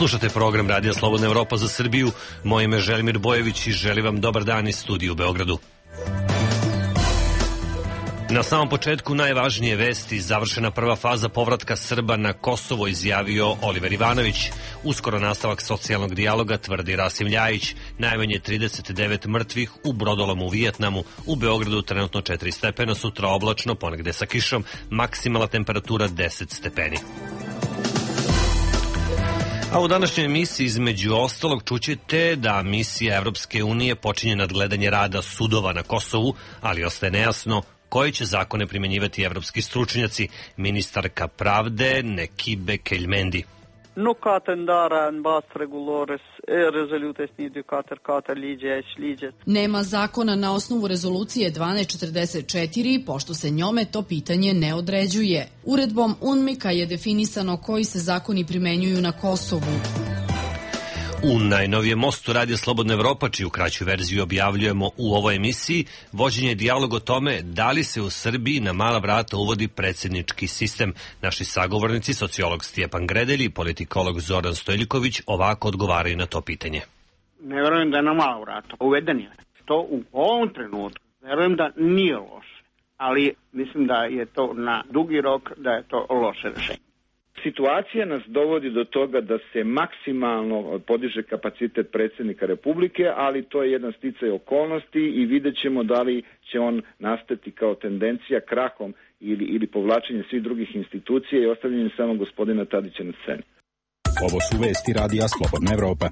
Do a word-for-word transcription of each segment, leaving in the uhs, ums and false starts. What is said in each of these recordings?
Slušate program Radija Slobodna Evropa za Srbiju. Moje ime je Želimir Bojević i želim vam dobar dan iz studija u Beogradu. Na samom početku najvažnije vesti. Završena prva faza povratka Srba na Kosovo, izjavio Oliver Ivanović. Uskoro nastavak socijalnog dijaloga, tvrdi Rasim Ljajić. Najmanje trideset devet mrtvih u brodolomu u Vijetnamu. U Beogradu trenutno četiri stepena, sutra oblačno, ponegde sa kišom. Maksimalna temperatura deset stepeni. A u današnjoj emisiji između ostalog čućete da misija Evropske unije počinje nadgledanje rada sudova na Kosovu, ali ostaje nejasno koji će zakone primenjivati evropski stručnjaci. Ministarka pravde Nekibe Keljmendi. Nuk ka të ndara në bazë rregullores e rezolutës një dy katër katër ligje e ligjet. Nema zakona na osnovu rezolucije dvanaest četrdeset četiri, pošto se njome to pitanje ne određuje. Uredbom UNMIK-a je definisano koji se zakoni primenjuju na Kosovu. U najnovijem mostu Radija Slobodna Evropa, čiju kraću verziju objavljujemo u ovoj emisiji, vođen je dijalog o tome da li se u Srbiji na mala vrata uvodi predsjednički sistem. Naši sagovornici, sociolog Stjepan Gredelj i politikolog Zoran Stojiljković, ovako odgovaraju na to pitanje. Ne verujem da je na mala vrata. Uveden je. To u ovom trenutku verujem da nije loše, ali mislim da je to na dugi rok, da je to loše rešenje. Situacija nas dovodi do toga da se maksimalno podiže kapacitet predsjednika Republike, ali to je jedan sticaj okolnosti i vidjet ćemo da li će on nastati kao tendencija krahom ili, ili povlačenjem svih drugih institucija i ostavljanjem samo gospodina Tadića na sceni. Ovo su vesti Radija Slobodna Evropa.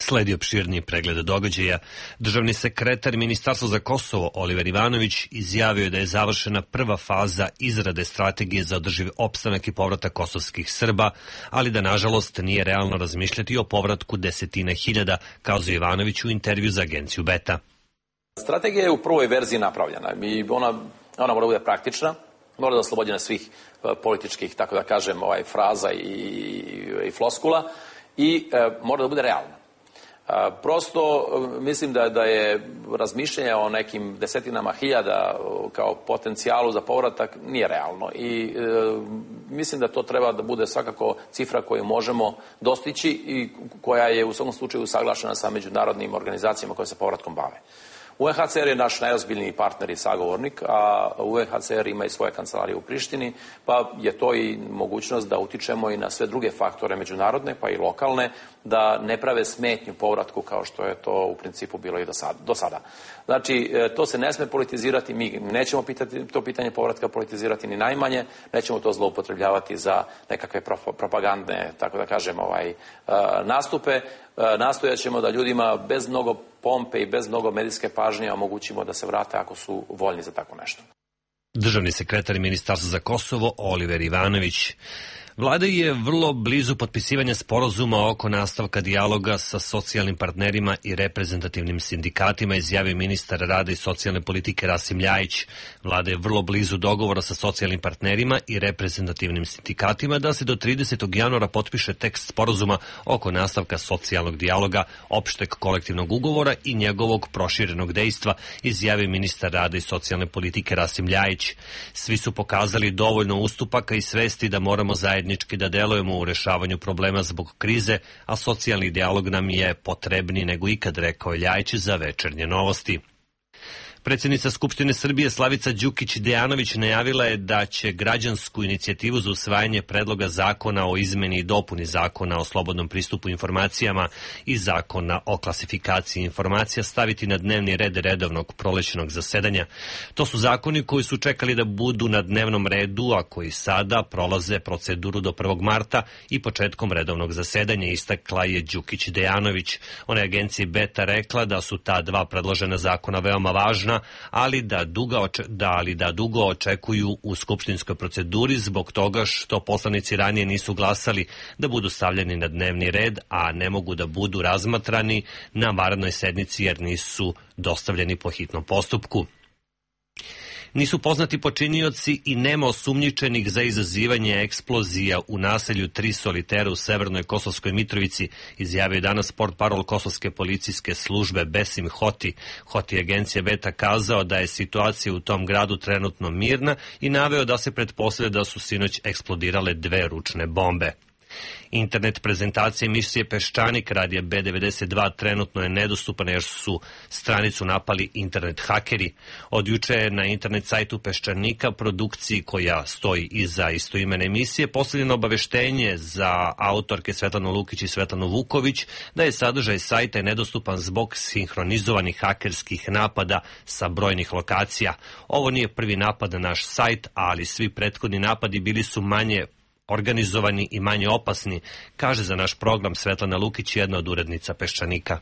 Sledi opširniji pregled događaja. Državni sekretar Ministarstva za Kosovo Oliver Ivanović izjavio je da je završena prva faza izrade strategije za održiv opstanak i povratak kosovskih Srba, ali da nažalost nije realno razmišljati o povratku desetina hiljada, kazao Ivanović u intervju za agenciju Beta. Strategija je u prvoj verziji napravljena i ona, ona mora da bude praktična, mora da oslobođena svih političkih, tako da kažem, ovaj, fraza i, i floskula i e, mora da bude realna. Prosto mislim da, da je razmišljanje o nekim desetinama hiljada kao potencijalu za povratak nije realno i e, mislim da to treba da bude svakako cifra koju možemo dostići i koja je u svakom slučaju usaglašena sa međunarodnim organizacijama koje se povratkom bave. U en ha ce er je naš najozbiljniji partner i sagovornik, a u en ha ce er ima i svoje kancelarije u Prištini, pa je to i mogućnost da utičemo i na sve druge faktore međunarodne, pa i lokalne, da ne prave smetnju povratku kao što je to u principu bilo i do sada. Znači, to se ne sme politizirati, mi nećemo pitati, to pitanje povratka politizirati ni najmanje, nećemo to zloupotrebljavati za nekakve propagandne, tako da kažem, ovaj, nastupe. Nastojat ćemo da ljudima bez mnogo pompe i bez mnogo medijske pažnje omogućimo da se vrate ako su voljni za tako nešto. Državni sekretar Ministarstva za Kosovo Oliver Ivanović. Vlada je vrlo blizu potpisivanja sporazuma oko nastavka dijaloga sa socijalnim partnerima i reprezentativnim sindikatima, izjavio ministar rada i socijalne politike Rasim Ljajić. Vlada je vrlo blizu dogovora sa socijalnim partnerima i reprezentativnim sindikatima da se do tridesetog januara potpiše tekst sporazuma oko nastavka socijalnog dijaloga, opšteg kolektivnog ugovora i njegovog proširenog dejstva, izjavio ministar rada i socijalne politike Rasim Ljajić. Svi su pokazali dovoljno ustupaka i svesti da moramo zajedno da delujemo u rešavanju problema zbog krize, a socijalni dijalog nam je potrebniji nego ikad, rekao je Ljajić za Večernje novosti. Predsjednica Skupštine Srbije Slavica Đukić Dejanović najavila je da će građansku inicijativu za usvajanje predloga zakona o izmeni i dopuni zakona o slobodnom pristupu informacijama i zakona o klasifikaciji informacija staviti na dnevni red redovnog prolećnog zasedanja. To su zakoni koji su čekali da budu na dnevnom redu, a koji sada prolaze proceduru do prvog marta i početkom redovnog zasedanja, istakla je Đukić Dejanović. Ona je agenciji Beta rekla da su ta dva predložena zakona veoma važna, ali da, duga oče, da, ali da dugo očekuju u skupštinskoj proceduri zbog toga što poslanici ranije nisu glasali da budu stavljeni na dnevni red, a ne mogu da budu razmatrani na vanrednoj sednici jer nisu dostavljeni po hitnom postupku. Nisu poznati počinioci i nema osumnjičenih za izazivanje eksplozija u naselju Tri solitera u severnoj Kosovskoj Mitrovici, izjavio danas portparol Kosovske policijske službe Besim Hoti. Hoti agencija Beta kazao da je situacija u tom gradu trenutno mirna i naveo da se pretpostavlja da su sinoć eksplodirale dve ručne bombe. Internet prezentacija emisije Peščanik radija B devedeset dva trenutno je nedostupna jer su stranicu napali internet hakeri. Od juče je na internet sajtu Peščanika, produkciji koja stoji iza istoimene emisije, postavljeno obaveštenje za autorke Svetlanu Lukić i Svetlanu Vuković da je sadržaj sajta nedostupan zbog sinhronizovanih hakerskih napada sa brojnih lokacija. Ovo nije prvi napad na naš sajt, ali svi prethodni napadi bili su manje organizovani i manje opasni, kaže za naš program Svetlana Lukić, jedna od urednica Peščanika.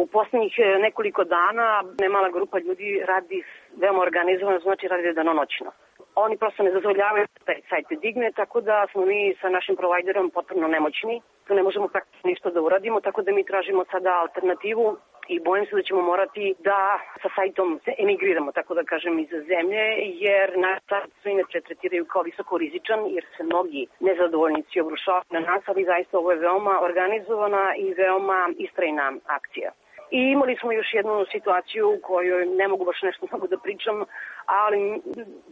U posljednjih nekoliko dana nemala grupa ljudi radi veoma organizovano, znači radi danonoćno. Oni prosto ne dozvoljavaju da taj sajt digne, tako da smo mi sa našim provajderom potpuno nemoćni. Tu ne možemo praktično ništa da uradimo, tako da mi tražimo sada alternativu i bojim se da ćemo morati da sa sajtom se emigriramo, tako da kažem, iz zemlje, jer naš sajt su inače tretiraju kao visoko rizičan, jer se mnogi nezadovoljnici obrušavaju na nas, ali zaista ovo je veoma organizovana i veoma istrajna akcija. I imali smo još jednu situaciju u kojoj ne mogu baš nešto mnogo da pričam, ali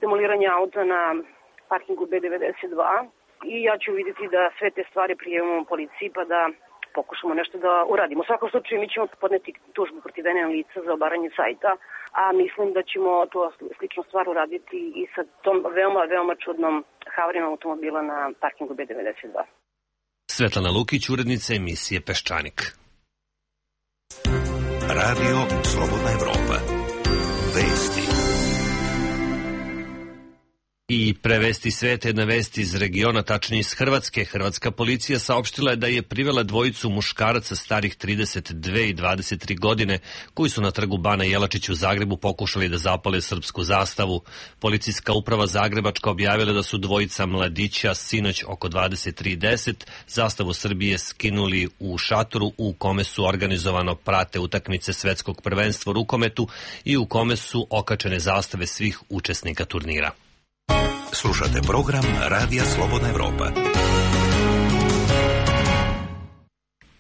demoliranje auta na parkingu B devedeset dva i ja ću vidjeti da sve te stvari prijavimo policiji pa da pokušamo nešto da uradimo. U svakom slučaju mi ćemo podneti tužbu protiv N N lica za obaranje sajta, a mislim da ćemo to sličnu stvar uraditi i sa tom veoma, veoma čudnom havarijom automobila na parkingu B devedeset dva. Svetlana Lukić, urednica emisije Peščanik. Radio Slobodna Evropa. Vesti. I prevesti sveta, jedna vest iz regiona, tačnije iz Hrvatske. Hrvatska policija saopštila je da je privela dvojicu muškaraca starih trideset dve i dvadeset tri godine koji su na trgu Bana Jelačić u Zagrebu pokušali da zapale srpsku zastavu. Policijska uprava Zagrebačka objavila da su dvojica mladića sinoć oko dvadeset tri deset zastavu Srbije skinuli u šatoru u kome su organizovano prate utakmice svetskog prvenstva u rukometu i u kome su okačene zastave svih učesnika turnira. Slušate program Radija Slobodna Evropa.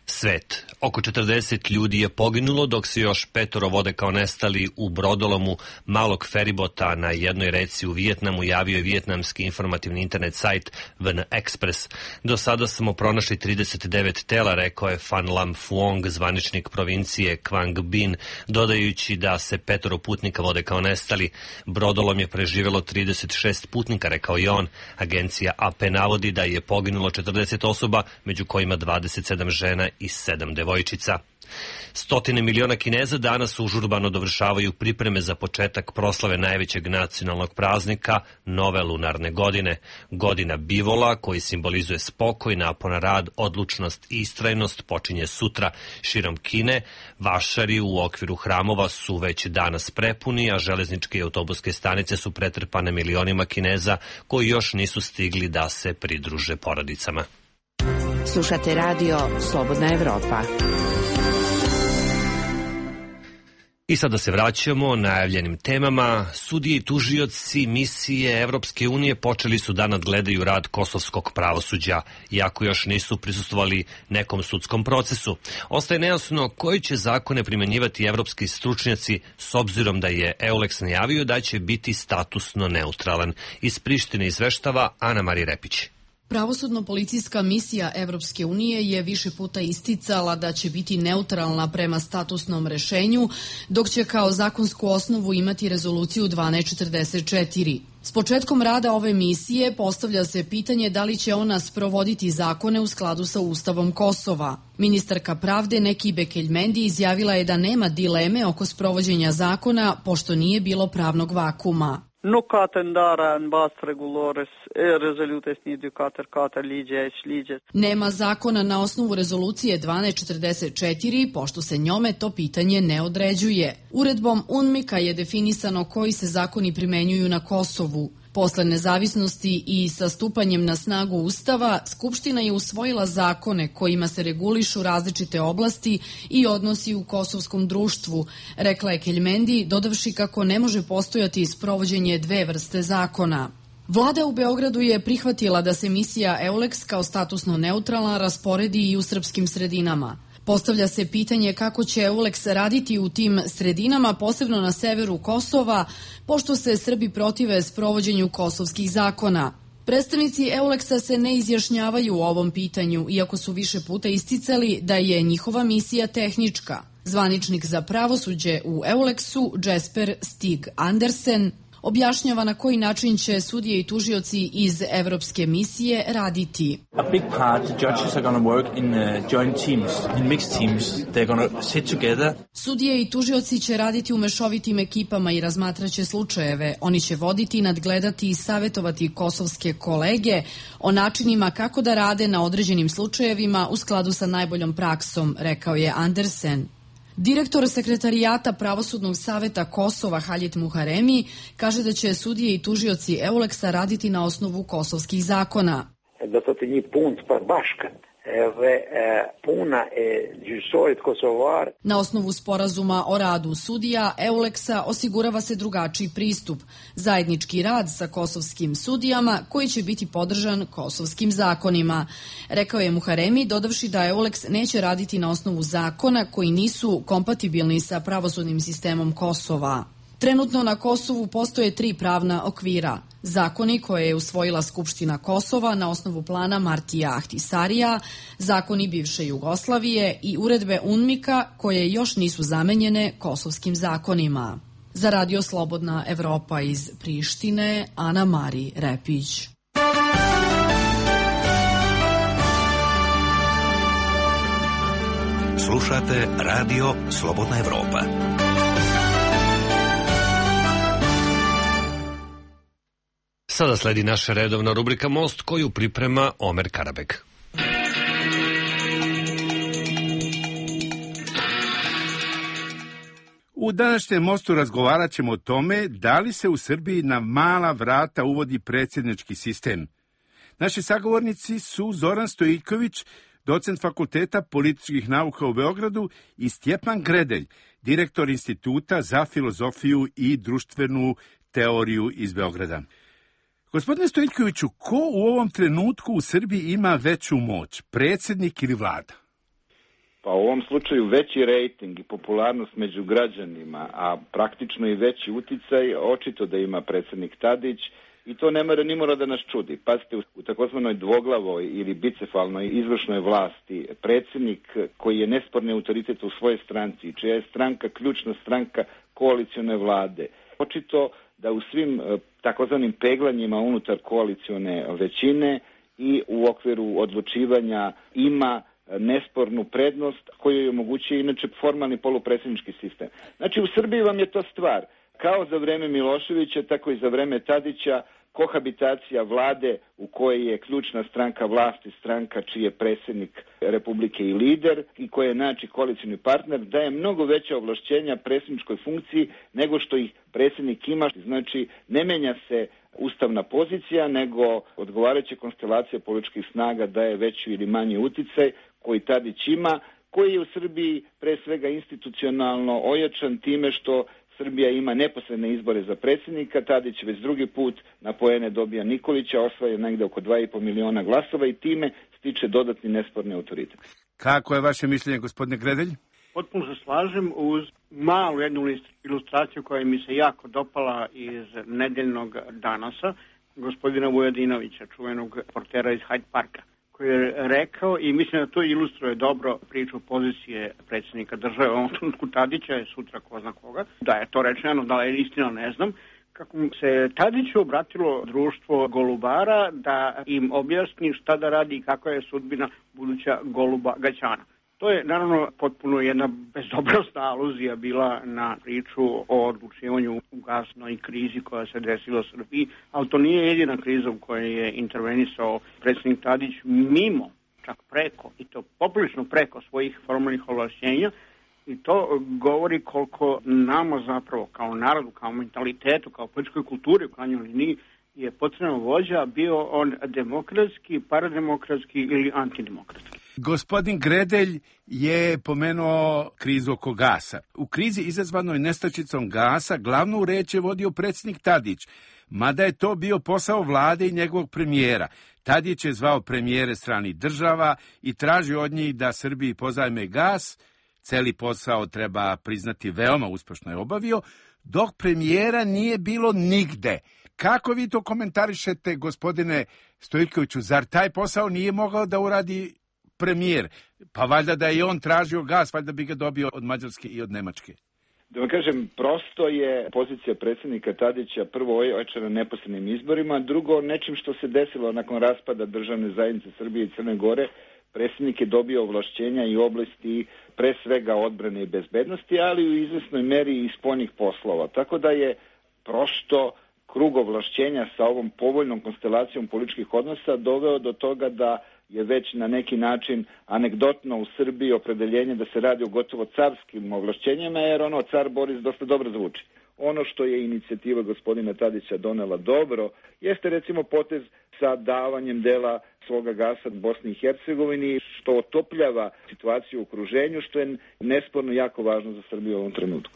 Svet. Oko četrdeset ljudi je poginulo, dok se još petoro vode kao nestali u brodolomu malog feribota na jednoj reci u Vijetnamu, javio je vijetnamski informativni internet sajt V N Express. Do sada smo pronašli trideset devet tela, rekao je Phan Lam Phuong, zvaničnik provincije Quang Binh, dodajući da se petoro putnika vode kao nestali. Brodolom je preživelo trideset šest putnika, rekao je on. Agencija A P navodi da je poginulo četrdeset osoba, među kojima dvadeset sedam žena i sedam devojčica. Stotine miliona Kineza danas užurbano dovršavaju pripreme za početak proslave najvećeg nacionalnog praznika, nove lunarne godine. Godina bivola, koji simbolizuje spokoj, napon na rad, odlučnost i istrajnost, počinje sutra. Širom Kine, vašari u okviru hramova su već danas prepuni, a železničke i autobuske stanice su pretrpane milionima Kineza koji još nisu stigli da se pridruže porodicama. Slušate radio Slobodna Evropa. I sada se vraćamo najavljenim temama. Sudije i tužioci misije Evropske unije počeli su da nadgledaju rad kosovskog pravosuđa, iako još nisu prisustvovali nekom sudskom procesu. Ostaje nejasno koji će zakone primenjivati evropski stručnjaci, s obzirom da je EULEX najavio da će biti statusno neutralan. Iz Prištine izveštava Ana Marija Repić. Pravosudno-policijska misija Evropske unije je više puta isticala da će biti neutralna prema statusnom rešenju, dok će kao zakonsku osnovu imati rezoluciju dvanaest četrdeset četiri. S početkom rada ove misije postavlja se pitanje da li će ona sprovoditi zakone u skladu sa Ustavom Kosova. Ministarka pravde Neki Bekeljmendi izjavila je da nema dileme oko sprovođenja zakona, pošto nije bilo pravnog vakuma. Nuk ka të ndara në bazë rregullore e rezolutës një dy katër katër ligje e ligjes. Nema zakona na osnovu rezolucije dvanaest četrdeset četiri, pošto se njome to pitanje ne određuje. Uredbom UNMIK-a je definisano koji se zakoni primenjuju na Kosovu. Posle nezavisnosti i sa stupanjem na snagu Ustava, Skupština je usvojila zakone kojima se regulišu različite oblasti i odnosi u kosovskom društvu, rekla je Keljmendi, dodavši kako ne može postojati sprovođenje dve vrste zakona. Vlada u Beogradu je prihvatila da se misija EULEX kao statusno neutralna rasporedi i u srpskim sredinama. Postavlja se pitanje kako će EULEX raditi u tim sredinama, posebno na severu Kosova, pošto se Srbi protive sprovođenju kosovskih zakona. Predstavnici Euleksa se ne izjašnjavaju o ovom pitanju, iako su više puta isticali da je njihova misija tehnička. Zvaničnik za pravosuđe u Euleksu, Jesper Stig Andersen, objašnjava na koji način će sudije i tužioci iz evropske misije raditi. A big part, the judges are going to work in joint teams, in mixed teams. They're going to sit together. Sudije i tužioci će raditi u mešovitim ekipama i razmatraće slučajeve. Oni će voditi, nadgledati i savjetovati kosovske kolege o načinima kako da rade na određenim slučajevima u skladu sa najboljom praksom, rekao je Andersen. Direktor sekretarijata Pravosudnog saveta Kosova Halit Muharemi kaže da će sudije i tužioci Euleksa raditi na osnovu kosovskih zakona. Na osnovu sporazuma o radu sudija Euleksa osigurava se drugačiji pristup, zajednički rad sa kosovskim sudijama koji će biti podržan kosovskim zakonima, rekao je Muharemi, dodavši da Euleks neće raditi na osnovu zakona koji nisu kompatibilni sa pravosudnim sistemom Kosova. Trenutno na Kosovu postoje tri pravna okvira. Zakoni koje je usvojila Skupština Kosova na osnovu plana Martija Ahtisarija, zakoni bivše Jugoslavije i uredbe UNMIK-a koje još nisu zamenjene kosovskim zakonima. Za Radio Slobodna Evropa iz Prištine, Ana Mari Repić. Slušate Radio Slobodna Evropa. Sada sledi naša redovna rubrika Most koju priprema Omer Karabek. U današnjem Mostu razgovarat ćemo o tome da li se u Srbiji na mala vrata uvodi predsjednički sistem. Naši sagovornici su Zoran Stojiljković, docent Fakulteta političkih nauka u Beogradu, i Stjepan Gredelj, direktor Instituta za filozofiju i društvenu teoriju iz Beograda. Gospodine Stojiljkoviću, ko u ovom trenutku u Srbiji ima veću moć, predsjednik ili vlada? Pa u ovom slučaju veći rejting i popularnost među građanima, a praktično i veći uticaj, očito da ima predsjednik Tadić, i to ne mora ni mora da nas čudi. Pazite, u takozvanoj dvoglavoj ili bicefalnoj izvršnoj vlasti predsjednik koji je nesporni autoritet u svojoj stranci, čija je stranka ključna stranka koalicione vlade, očito da u svim takozvanim peglanjima unutar koalicione većine i u okviru odlučivanja ima nespornu prednost koju je omogućuje inače formalni polupredsjednički sistem. Znači u Srbiji vam je to stvar. Kao za vreme Miloševića, tako i za vreme Tadića, kohabitacija vlade u kojoj je ključna stranka vlasti, stranka čiji je predsjednik Republike i lider i koji je znači koalicioni partner, daje mnogo veća ovlašćenja predsjedničkoj funkciji nego što ih predsjednik ima. Znači ne menja se ustavna pozicija, nego odgovarajuća konstelacija političkih snaga daje veći ili manji uticaj koji Tadić ima, koji je u Srbiji pre svega institucionalno ojačan time što Srbija ima neposredne izbore za predsjednika, Tadić već drugi put na poene dobija Nikolića, osvaja negde oko dva i po miliona glasova i time stiče dodatni nesporni autoritet. Kako je vaše mišljenje, gospodine Gredelj? Potpuno se slažem uz malu jednu ilustraciju koja mi se jako dopala iz nedeljnog Danasa, gospodina Vujadinovića, čuvenog portera iz Hyde Parka, koji je rekao, i mislim da to ilustruje dobro priču pozicije predsjednika države, u ovom trenutku Tadića je sutra ko zna koga, da je to rečeno, da je istina ne znam, kako se Tadiću obratilo društvo golubara da im objasni šta da radi i kakva je sudbina buduća goluba Gaćana. To je naravno potpuno jedna bezobrazna aluzija bila na priču o odlučivanju u gasnoj krizi koja se desila u Srbiji, ali to nije jedina kriza u kojoj je intervenisao predsjednik Tadić mimo, čak preko, i to poprilično preko svojih formalnih ovlašćenja, i to govori koliko nama zapravo kao narodu, kao mentalitetu, kao političkoj kulturi u krajnjoj liniji je potrebno vođa, bio on demokratski, parademokratski ili antidemokratski. Gospodin Gredelj je pomenuo krizu oko gasa. U krizi izazvanoj nestačicom gasa glavnu reč je vodio predsjednik Tadić, mada je to bio posao vlade i njegovog premijera. Tadić je zvao premijere stranih država i tražio od njih da Srbiji pozajme gas. Celi posao, treba priznati, veoma uspešno je obavio, dok premijera nije bilo nigde. Kako vi to komentarišete, gospodine Stojiljkoviću? Zar taj posao nije mogao da uradi premijer? Pa valjda da je on tražio gas, valjda bi ga dobio od Mađarske i od Nemačke. Da vam kažem, prosto je pozicija predsjednika Tadića prvo ojačana neposrednim izborima, drugo nečim što se desilo nakon raspada državne zajednice Srbije i Crne Gore. Predsjednik je dobio ovlašćenja i oblasti pre svega odbrane i bezbednosti, ali u izvesnoj meri i spoljnih poslova. Tako da je prosto krug ovlašćenja sa ovom povoljnom konstelacijom političkih odnosa doveo do toga da je već na neki način anegdotno u Srbiji opredeljenje da se radi o gotovo carskim ovlašćenjima, jer ono car Boris dosta dobro zvuči. Ono što je inicijativa gospodina Tadića donela dobro, jeste recimo potez sa davanjem dela svoga gasa Bosni i Hercegovini, što otopljava situaciju u okruženju, što je nesporno jako važno za Srbiju u ovom trenutku.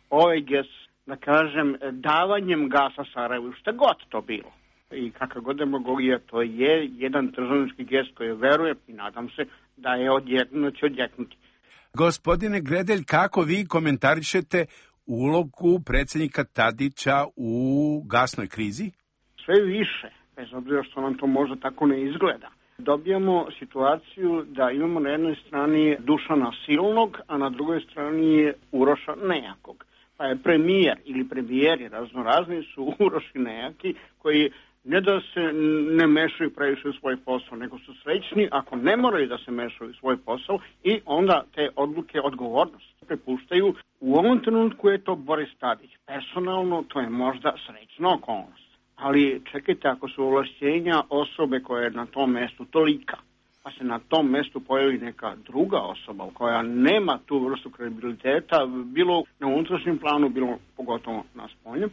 Ovaj gest, da kažem, davanjem gasa Sarajevu, šta god to bilo, i kakav god demagogija, to je jedan državnički gest koji verujem i nadam se da je odjeknuti, će odjeknuti. Gospodine Gredelj, kako vi komentarišete ulogu predsjednika Tadića u gasnoj krizi? Sve više, bez obzira što nam to možda tako ne izgleda. Dobijamo situaciju da imamo na jednoj strani Dušana Silnog, a na drugoj strani je Uroša Nejakog. Pa je premijer ili premijeri raznorazni su Uroš i Nejaki, koji ne da se ne mešaju previše u svoj posao, nego su srećni ako ne moraju da se mešaju u svoj posao i onda te odluke odgovornosti prepuštaju. U ovom trenutku je to Boris Tadić. Personalno to je možda srećna okolnost. Ali čekajte, ako su ovlašćenja osobe koja je na tom mestu tolika, pa se na tom mestu pojavi neka druga osoba koja nema tu vrstu kredibiliteta, bilo na unutrašnjem planu, bilo pogotovo na spoljnom,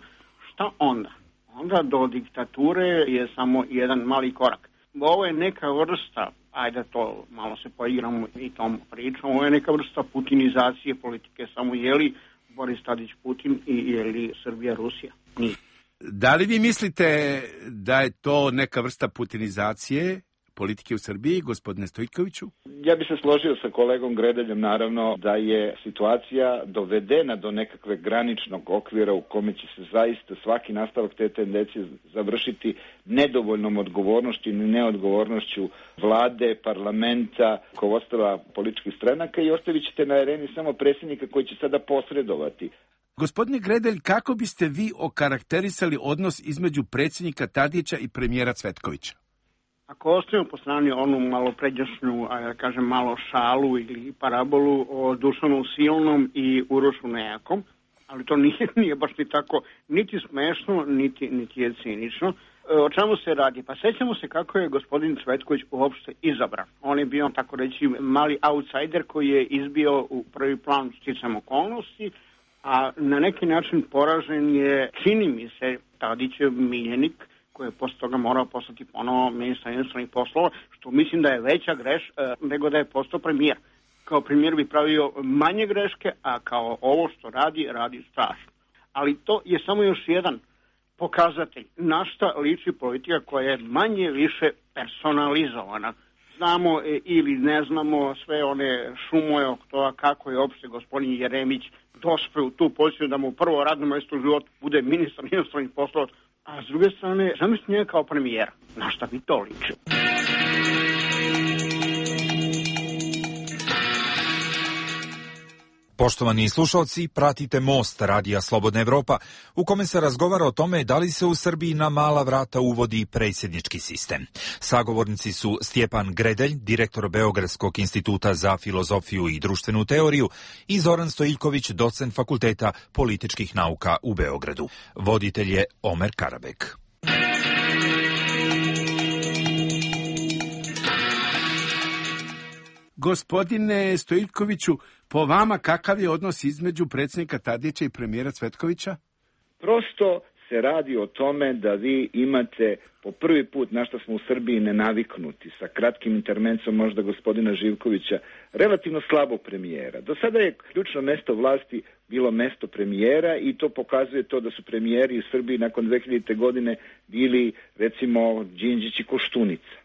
šta onda? Onda do diktature je samo jedan mali korak. Ovo je neka vrsta, ajde to malo se poigramo i tom pričom, ovo je neka vrsta putinizacije politike, samo je li Boris Tadić Putin i je li Srbija Rusija? Nije. Da li vi mislite da je to neka vrsta putinizacije politike u Srbiji, gospodine Stojiljkoviću? Ja bih se složio sa kolegom Gredeljem, naravno, da je situacija dovedena do nekakve graničnog okvira u kome će se zaista svaki nastavak te tendencije završiti nedovoljnom odgovornošću i neodgovornošću vlade, parlamenta, rukovodstva političkih stranaka i ostavit ćete na areni samo predsjednika koji će sada posredovati. Gospodine Gredelj, kako biste vi okarakterisali odnos između predsjednika Tadića i premijera Cvetkovića? Ako ostavimo po strani onu malo pređašnju, a ja kažem malo šalu ili parabolu o Dušanu Silnom i Urošu Nejakom, ali to nije, nije baš ni tako niti smešno, niti, niti je cinično. O čemu se radi? Pa sećamo se kako je gospodin Cvetković uopšte izabran. On je bio, tako reći, mali outsider koji je izbio u prvi plan sticam okolnosti, a na neki način poražen je, čini mi se, Tadićev miljenik, koji je posle toga morao postati ponovo ministar inostranih poslova, što mislim da je veća greš e, nego da je postao premijer. Kao premijer bi pravio manje greške, a kao ovo što radi, radi strašno. Ali to je samo još jedan pokazatelj na šta liči politika koja je manje više personalizovana. Znamo e, ili ne znamo sve one šumoje oko toga kako je opšte gospodin Jeremić dospeo u tu poziciju da mu prvo radno mesto u životu bude ministar inostranih poslova. A s druge strane, zamislite njega kao premijera. Na šta bi to liči? Poštovani slušalci, pratite Most radija Slobodna Evropa, u kome se razgovara o tome da li se u Srbiji na mala vrata uvodi predsjednički sistem. Sagovornici su Stjepan Gredelj, direktor Beogradskog instituta za filozofiju i društvenu teoriju, i Zoran Stojiljković, docent Fakulteta političkih nauka u Beogradu. Voditelj je Omer Karabek. Gospodine Stojiljkoviću, po vama kakav je odnos između predsjednika Tadića i premijera Cvetkovića? Prosto se radi o tome da vi imate po prvi put, na što smo u Srbiji nenaviknuti, sa kratkim intermencom možda gospodina Živkovića, relativno slabo premijera. Do sada je ključno mesto vlasti bilo mesto premijera i to pokazuje to da su premijeri u Srbiji nakon dve hiljadite. godine bili, recimo, Đinđić i Koštunica.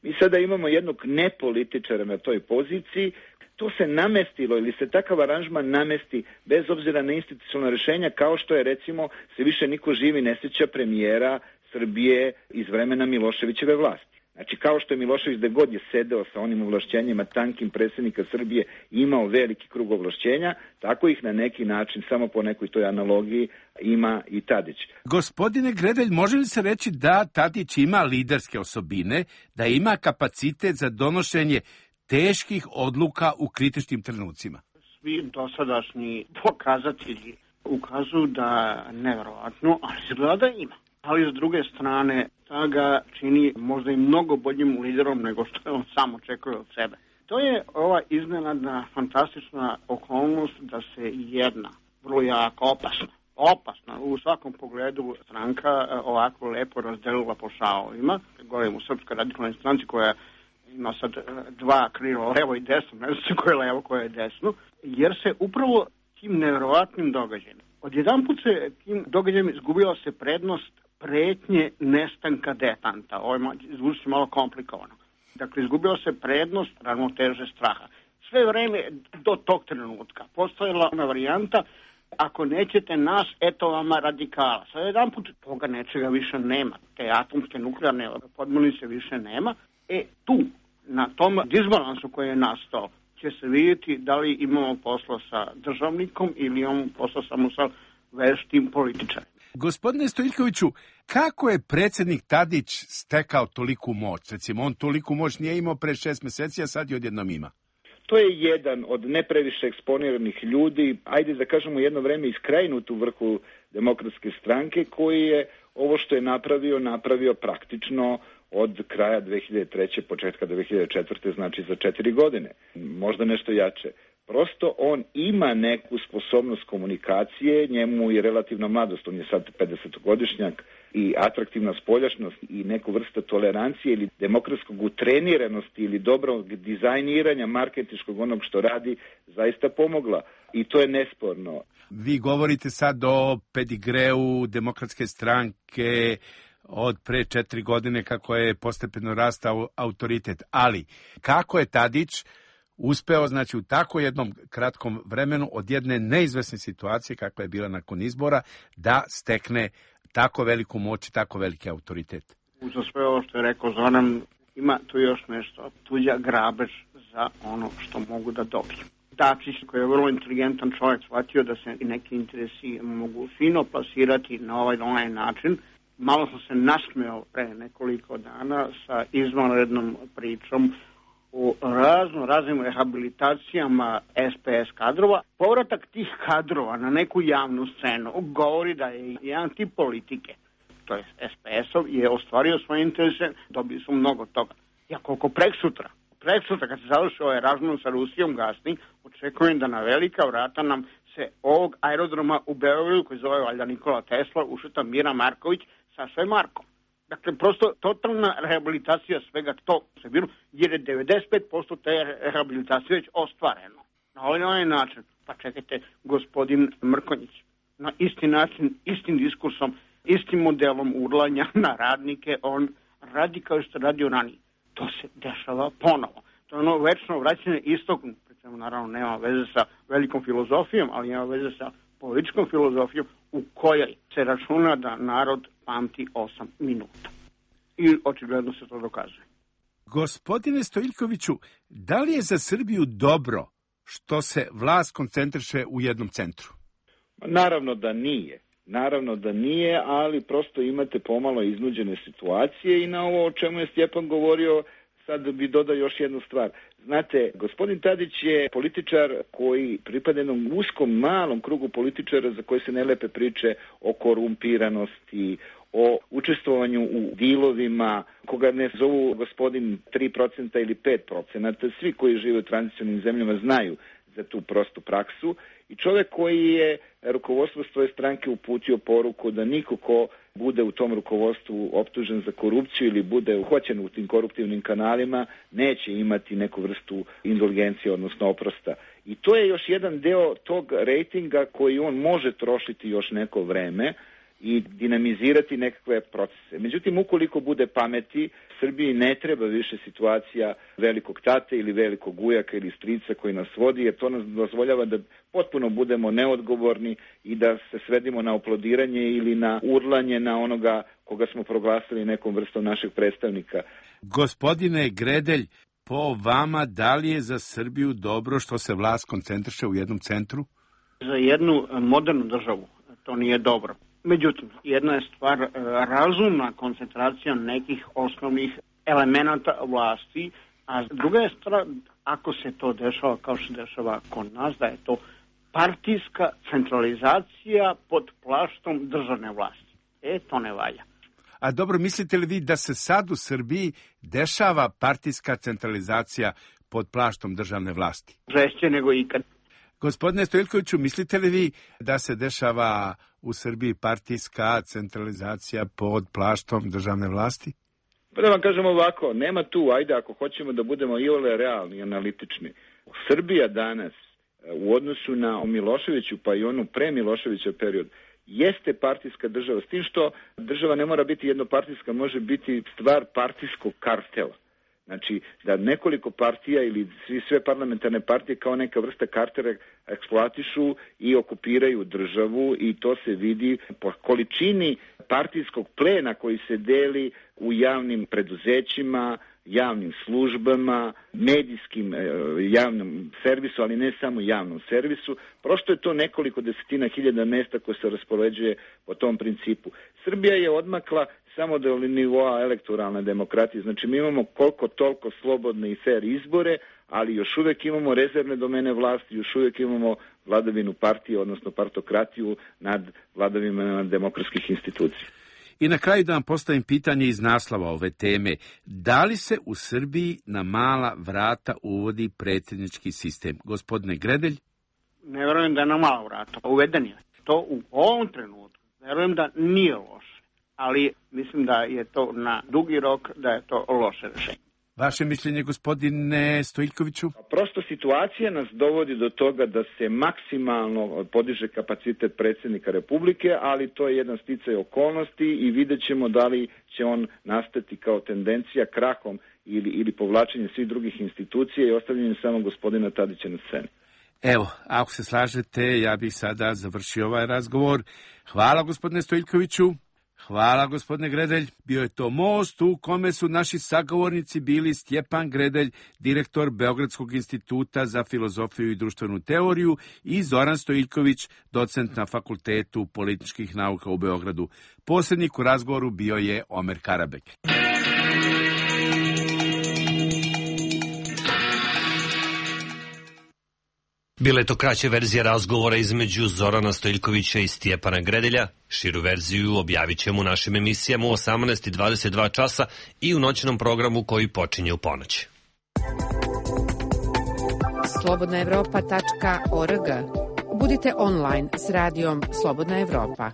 Mi sada imamo jednog nepolitičara na toj poziciji. to se namestilo ili se takav aranžman namesti bez obzira na institucionalna rješenja, kao što je recimo se više niko živi ne sjeća premijera Srbije iz vremena Miloševićeve vlasti. Znači, kao što je Milošević da god je sedeo sa onim ovlašćenjima tankim predsjednika Srbije imao veliki krug ovlašćenja, tako ih na neki način, samo po nekoj toj analogiji, ima i Tadić. Gospodine Gredelj, može li se reći da Tadić ima liderske osobine, da ima kapacitet za donošenje teških odluka u kritičnim trenucima? Svi dosadašnji pokazatelji ukazuju da nevjerovatno, ali izgleda da ima. Ali s druge strane, ta ga čini možda i mnogo boljim liderom nego što je on sam očekuje od sebe. To je ova iznenadna, fantastična okolnost da se jedna, vrlo jako opasna, opasna u svakom pogledu stranka ovako lepo razdelila po šavovima. Govorim u Srpskoj radikalnoj stranci koja ima sad dva krila, levo i desno, ne znam koje je levo, koje je desno, jer se upravo tim nevjerovatnim događajem. Odjedanput se tim događajem izgubila se prednost pretnje nestanka detanta. Ovo zvuči se malo komplikovano. Dakle, izgubila se prednost ravnoteže straha. Sve vreme do tog trenutka postojala ona varijanta, ako nećete nas, eto vama radikala. Sad jedan put toga nečega više nema. Te atomske nuklearne podmornice više nema. E tu, na tom disbalansu koji je nastao, će se vidjeti da li imamo posla sa državnikom ili imamo posla samo sa veštim političarima. Gospodine Stojiljkoviću, kako je predsjednik Tadić stekao toliku moć? Recimo, on toliku moć nije imao pre šest mjeseci, a sad je odjednom ima. To je jedan od ne previše eksponiranih ljudi, ajde da kažemo jedno vreme iskrajnut u vrhu Demokratske stranke, koji je ovo što je napravio, napravio praktično od kraja dve hiljade treće. početka dve hiljade četvrte. znači za četiri godine. Možda nešto jače. Prosto on ima neku sposobnost komunikacije, njemu je relativna mladost, on je sad pedesetogodišnjak, i atraktivna spoljašnost i neku vrsta tolerancije ili demokratskog utreniranosti ili dobrog dizajniranja marketinškog onog što radi zaista pomogla. I to je nesporno. Vi govorite sad o pedigreu Demokratske stranke od pre četiri godine kako je postepeno rastao autoritet. Ali kako je Tadić uspeo, znači, u tako jednom kratkom vremenu od jedne neizvesne situacije kakva je bila nakon izbora da stekne tako veliku moć i tako veliki autoritet? Za sve ovo što je rekao Zoran, ima tu još nešto. Tuđa grabež za ono što mogu da dobiju. Dačić, koji je vrlo inteligentan čovjek, shvatio da se neki interesi mogu fino plasirati na ovaj onaj način. Malo sam se nasmeo pre nekoliko dana sa izvanrednom pričom u razno raznim rehabilitacijama es pe es kadrova. Povratak tih kadrova na neku javnu scenu govori da je jedan tip politike, to je es pe es-ov, je ostvario svoje interese, dobili su mnogo toga. Ja koliko prek sutra, prek sutra kad se završi ovaj razmon sa Rusijom gasni, očekujem da na velika vrata nam se ovog aerodroma u Beogradu, koji zove valjda Nikola Tesla, ušeta Mira Marković sa sve Markom. Dakle, prosto totalna rehabilitacija svega to se bilo, jer je devedeset pet posto te rehabilitacije već ostvareno. Na ovaj, na ovaj način, pa čekajte, gospodin Mrkonjić, na isti način, istim diskursom, istim modelom urlanja na radnike, on radi kao što radio ranije. To se dešava ponovo. To je ono večno vraćanje istoku, pričemu naravno nema veze sa velikom filozofijom, ali ima veze sa političkom filozofijom u kojoj se računa da narod pamti osam minuta. I očigledno se to dokazuje. Gospodine Stojiljkoviću, da li je za Srbiju dobro što se vlast koncentriše u jednom centru? Naravno da nije. Naravno da nije, ali prosto imate pomalo iznuđene situacije i na ovo o čemu je Stjepan govorio, sad bi dodao još jednu stvar. Znate, gospodin Tadić je političar koji pripada jednom uskom, malom krugu političara za koje se ne lepe priče o korumpiranosti, o učestvovanju u dilovima, koga ne zovu gospodin tri procenta ili pet procenta. Svi koji žive u tranzicionim zemljama znaju za tu prostu praksu. I čovjek koji je rukovodstvo svoje stranke uputio poruku da niko ko bude u tom rukovodstvu optužen za korupciju ili bude uhoćen u tim koruptivnim kanalima neće imati neku vrstu indulgencije, odnosno oprosta. I to je još jedan deo tog rejtinga koji on može trošiti još neko vreme, i dinamizirati nekakve procese. Međutim, ukoliko bude pameti, Srbiji ne treba više situacija velikog tate ili velikog ujaka ili strica koji nas vodi, jer to nas dozvoljava da potpuno budemo neodgovorni i da se svedimo na oplodiranje ili na urlanje na onoga koga smo proglasili nekom vrstom našeg predstavnika. Gospodine Gredelj, po vama, da li je za Srbiju dobro što se vlast koncentriše u jednom centru? Za jednu modernu državu to nije dobro. Međutim, jedna je stvar razumna koncentracija nekih osnovnih elemenata vlasti, a druga je stvar, ako se to dešava kao što se dešava kod nas, da je to partijska centralizacija pod plaštom državne vlasti. E, to ne valja. A dobro, mislite li vi da se sad u Srbiji dešava partijska centralizacija pod plaštom državne vlasti? Žešće nego ikad. Gospodine Stojiljkoviću, mislite li vi da se dešava u Srbiji partijska centralizacija pod plaštom državne vlasti? Pa da vam kažem ovako, nema tu, ajde ako hoćemo da budemo i ole realni i analitični. Srbija danas u odnosu na Miloševiću pa i onu pre Miloševića period jeste partijska država, s tim što država ne mora biti jednopartijska, može biti stvar partijskog kartela. Znači, da nekoliko partija ili svi, sve parlamentarne partije kao neka vrsta kartera eksploatišu i okupiraju državu i to se vidi po količini partijskog plena koji se deli u javnim preduzećima, javnim službama, medijskim javnom servisu, ali ne samo javnom servisu. Prosto je to nekoliko desetina hiljada mesta koje se raspoređuje po tom principu. Srbija je odmakla samo do nivoa elektoralne demokratije. Znači, mi imamo koliko toliko slobodne i fair izbore, ali još uvek imamo rezervne domene vlasti, još uvek imamo vladavinu partije, odnosno partokratiju nad vladavinama demokratskih institucija. I na kraju da vam postavim pitanje iz naslova ove teme. Da li se u Srbiji na mala vrata uvodi predsjednički sistem? Gospodine Gredelj? Ne verujem da je na mala vrata. Uveden je. To u ovom trenutku verujem da nije loše, ali mislim da je to na dugi rok, da je to loše rešenje. Vaše mišljenje, gospodine Stojiljkoviću? Prosto situacija nas dovodi do toga da se maksimalno podiže kapacitet predsjednika Republike, ali to je jedan sticaj okolnosti i vidjet ćemo da li će on nastati kao tendencija krahom ili, ili povlačenjem svih drugih institucija i ostavljanjem samo gospodina Tadića na sceni. Evo, ako se slažete, ja bih sada završio ovaj razgovor. Hvala, gospodine Stojiljkoviću. Hvala, gospodine Gredelj. Bio je to most u kome su naši sagovornici bili Stjepan Gredelj, direktor Beogradskog instituta za filozofiju i društvenu teoriju, i Zoran Stojiljković, docent na Fakultetu političkih nauka u Beogradu. Posrednik u razgovoru bio je Omer Karabek. Bila je to kraća verzija razgovora između Zorana Stojiljkovića i Stjepana Gredelja. Širu verziju objavit ćemo u našim emisijama u osamnaest i dvadeset dva časa i u noćnom programu koji počinje u ponoć. slobodna evropa tačka org. Budite online s radijom Slobodna Evropa.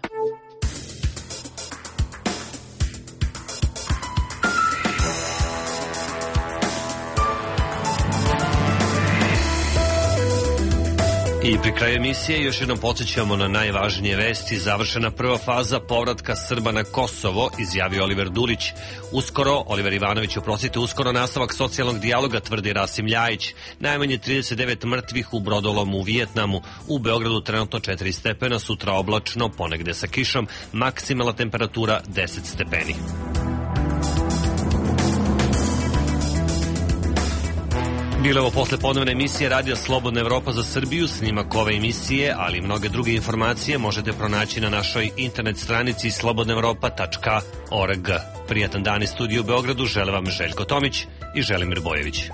I pri kraju emisije još jednom podsjećamo na najvažnije vesti. Završena prva faza povratka Srba na Kosovo, izjavio Oliver Dulić. Uskoro, Oliver Ivanović, oprostite, uskoro nastavak socijalnog dijaloga, tvrdi Rasim Ljajić. Najmanje trideset devet mrtvih u brodolomu u Vijetnamu. U Beogradu trenutno četiri stepena, sutra oblačno, ponegde sa kišom, maksimalna temperatura deset stepeni. Bile ovo posle ponovne emisije Radio Slobodna Evropa za Srbiju. Snimak ove emisije, ali i mnoge druge informacije možete pronaći na našoj internet stranici slobodna evropa tačka org. Prijatan dan iz studija u Beogradu žele vam Željko Tomić i Želimir Bojević.